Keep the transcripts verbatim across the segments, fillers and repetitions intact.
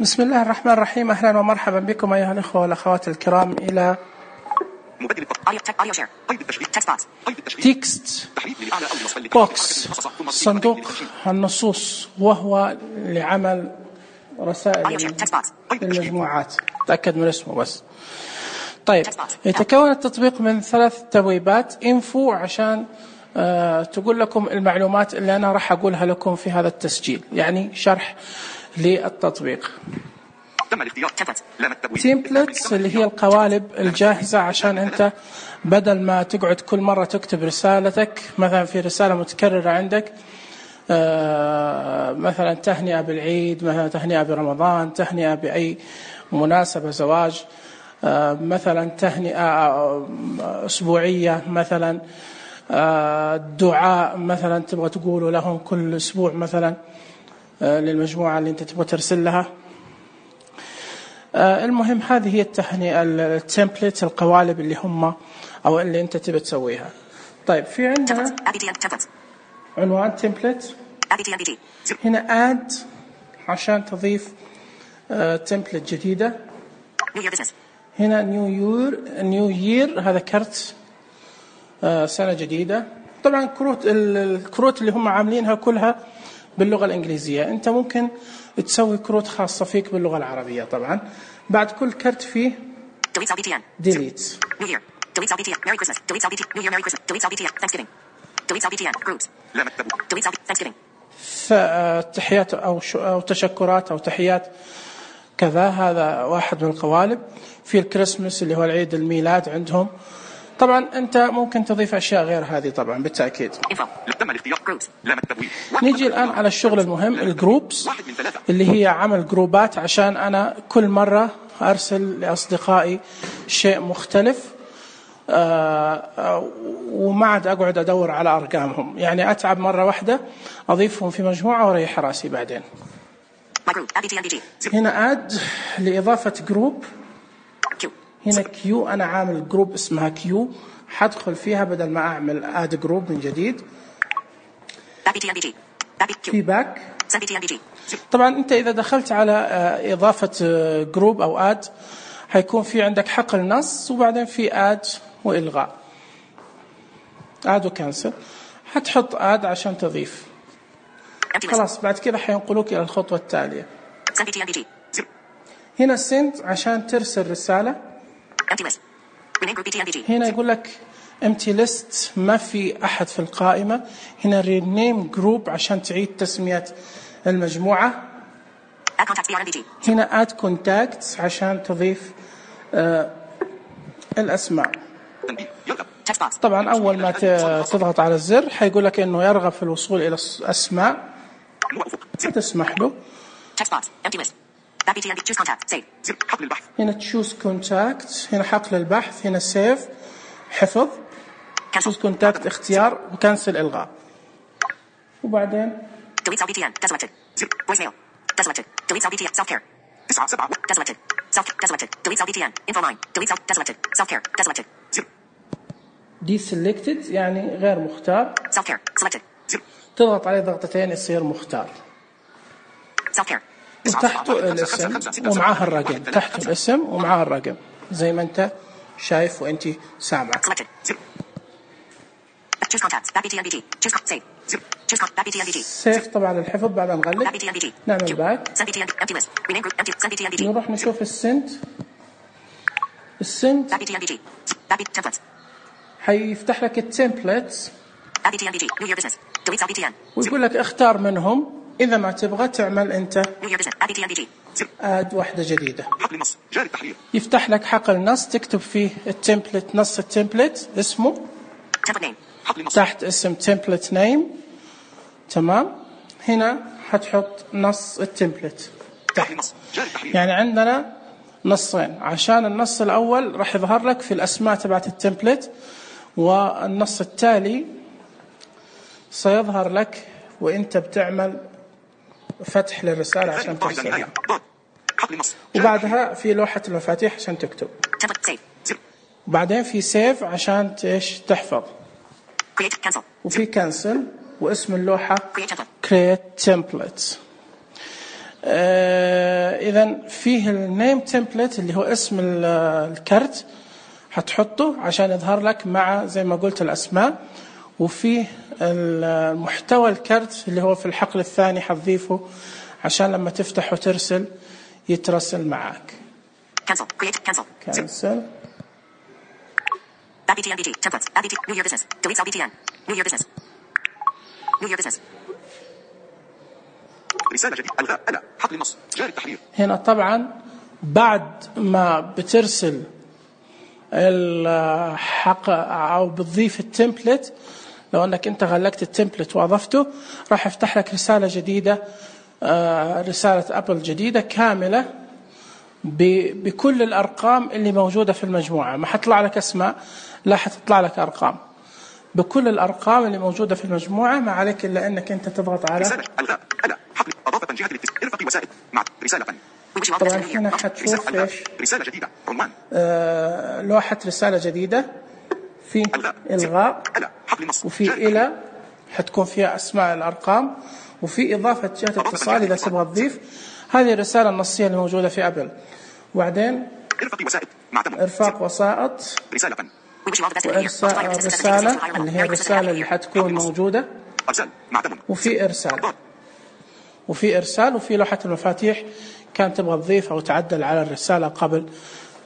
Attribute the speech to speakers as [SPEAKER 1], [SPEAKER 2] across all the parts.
[SPEAKER 1] بسم الله الرحمن الرحيم. أهلا ومرحبا بكم أيها الأخوة والأخوات الكرام إلى تكست بوكس، صندوق النصوص، وهو لعمل رسائل للمجموعات. تأكد من اسمه بس. طيب، يتكون التطبيق من ثلاث تبويبات. انفو عشان آه تقول لكم المعلومات اللي أنا راح أقولها لكم في هذا التسجيل، يعني شرح للتطبيق. تيمبلتس اللي هي القوالب الجاهزة، عشان أنت بدل ما تقعد كل مرة تكتب رسالتك، مثلا في رسالة متكررة عندك، آه مثلا تهنئة بالعيد، مثلا تهنئة برمضان، تهنئة بأي مناسبة، زواج، آه مثلا تهنئة أسبوعية، مثلا آه دعاء مثلا تبغى تقوله لهم كل أسبوع مثلا آه للمجموعة اللي أنت تبغى ترسل لها. آه المهم هذه هي التهنئة، التمبلت، القوالب اللي هم أو اللي أنت تبغى تسويها. طيب، في عندنا عنوان تمبلت، هنا add عشان تضيف آه تمبلت جديدة. هنا نيو يير، نيو يير هذا كرت آه سنة جديدة. طبعا كروت الكروت اللي هم عاملينها كلها باللغة الإنجليزية، أنت ممكن تسوي كروت خاصة فيك باللغة العربية. طبعا بعد كل كرت فيه delete. delete L B T N, Merry Christmas, delete L B T, New Year, Merry Christmas, delete L B T N, Thanksgiving, delete L B T N, groups, delete L B T, Thanksgiving. تحيات أو أو تشكرات أو تحيات كذا، هذا واحد من القوالب. في الكريسماس اللي هو العيد الميلاد عندهم. طبعا أنت ممكن تضيف أشياء غير هذه طبعا بالتأكيد. نيجي الآن على الشغل المهم، الجروبس، اللي هي عمل جروبات عشان أنا كل مرة أرسل لأصدقائي شيء مختلف، آه وما عاد أقعد أدور على أرقامهم، يعني أتعب مرة واحدة أضيفهم في مجموعة وريح راسي بعدين. هنا آد لإضافة جروب، هنا كيو، أنا عامل جروب اسمها كيو، حدخل فيها بدل ما أعمل آد جروب من جديد. في باك. طبعا أنت إذا دخلت على إضافة جروب أو آد هيكون في عندك حقل نص، وبعدين في آد وإلغاء، آد وكانسل. هتحط آد عشان تضيف، خلاص بعد كده حينقلوك إلى الخطوة التالية. هنا send عشان ترسل رسالة. هنا يقول لك empty list، ما في أحد في القائمة. هنا rename group عشان تعيد تسمية المجموعة. هنا add contacts عشان تضيف آه الأسماء. طبعا أول ما تضغط على الزر حيقول لك إنه يرغب في الوصول إلى الأسماء، تسمح له. هنا choose contact، هنا حقل البحث، هنا save حفظ، choose contact اختيار، وكنسل إلغاء. وبعدين delete L B T N deselected voicemail deselected delete L B T N self care deselected self deselected delete L B T N info line delete deselected self care deselected deselected يعني غير مختار. self care selected تضغط عليه ضغطتين يصير مختار. self care وتحته الاسم ومعاه الرقم، تحته الاسم ومعاه الرقم زي ما انت شايف وانت سامع. سيف طبعا الحفظ بعد ما نغلق. نعمل باك، نروح نشوف السنت. السنت حيفتح لك التمبلتس ويقول لك اختار منهم إذا ما تبغى تعمل أنت آد واحدة جديدة. يفتح لك حقل نص تكتب فيه التمبلت، نص التمبلت اسمه، تحت اسم تمبلت نيم. تمام، هنا هتحط نص التمبلت تحت. يعني عندنا نصين، عشان النص الأول راح يظهر لك في الأسماء تبعت التمبلت، والنص التالي سيظهر لك وانت بتعمل فتح للرسالة عشان ترسلها. وبعدها في لوحة المفاتيح عشان تكتب، وبعدين في سيف عشان ايش تحفظ، وفي كانسل واسم اللوحة create template. إذا فيه النيم تمبلت اللي هو اسم الكرت هتحطه عشان يظهر لك مع زي ما قلت الأسماء، وفيه المحتوى الكرت اللي هو في الحقل الثاني هتضيفه عشان لما تفتح وترسل يترسل معك.
[SPEAKER 2] cancel create cancel
[SPEAKER 1] cancel
[SPEAKER 2] add btn bt templates add bt new year business delete cell btn new year business new year business رسالة جديدة ألغاء ألا حقل النص جاري التحرير.
[SPEAKER 1] هنا طبعا بعد ما بترسل الحق أو بتضيف التمبلت، لو أنك أنت غلقت التمبلت وأضفته راح يفتح لك رسالة جديدة، رسالة أبل جديدة كاملة بكل الأرقام اللي موجودة في المجموعة. ما حتطلع لك أسماء، لا حتطلع لك أرقام، بكل الأرقام اللي موجودة في المجموعة. ما عليك إلا أنك أنت تضغط على
[SPEAKER 2] رسالة ألغاء ألا حقل إضافة جهة الاتصال ارفقي وسائل مع رسالة ثانية.
[SPEAKER 1] طبعا هنا حتشوف إيش
[SPEAKER 2] رسالة جديدة عنوان
[SPEAKER 1] آه لوحة رسالة جديدة في إلغاء وفي إلى حتكون فيها أسماء الأرقام، وفي إضافة جهة اتصال إذا تبغى تضيف. هذه الرسالة النصية اللي موجودة في أبل. وبعدين إرفاق وسائط وإرسال الرسالة اللي هي الرسالة اللي حتكون موجودة، وفي إرسال وفي إرسال وفي لوحة المفاتيح كان تبغى تضيف أو تعدل على الرسالة قبل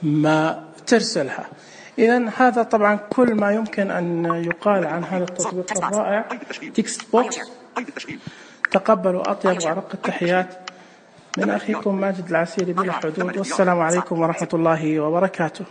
[SPEAKER 1] ما ترسلها. إذن هذا طبعا كل ما يمكن أن يقال عن هذا التطبيق الرائع تكست بوكس. تقبلوا أطيب وأرق التحيات من أخيكم ماجد العسيري بلا حدود، والسلام عليكم ورحمة الله وبركاته.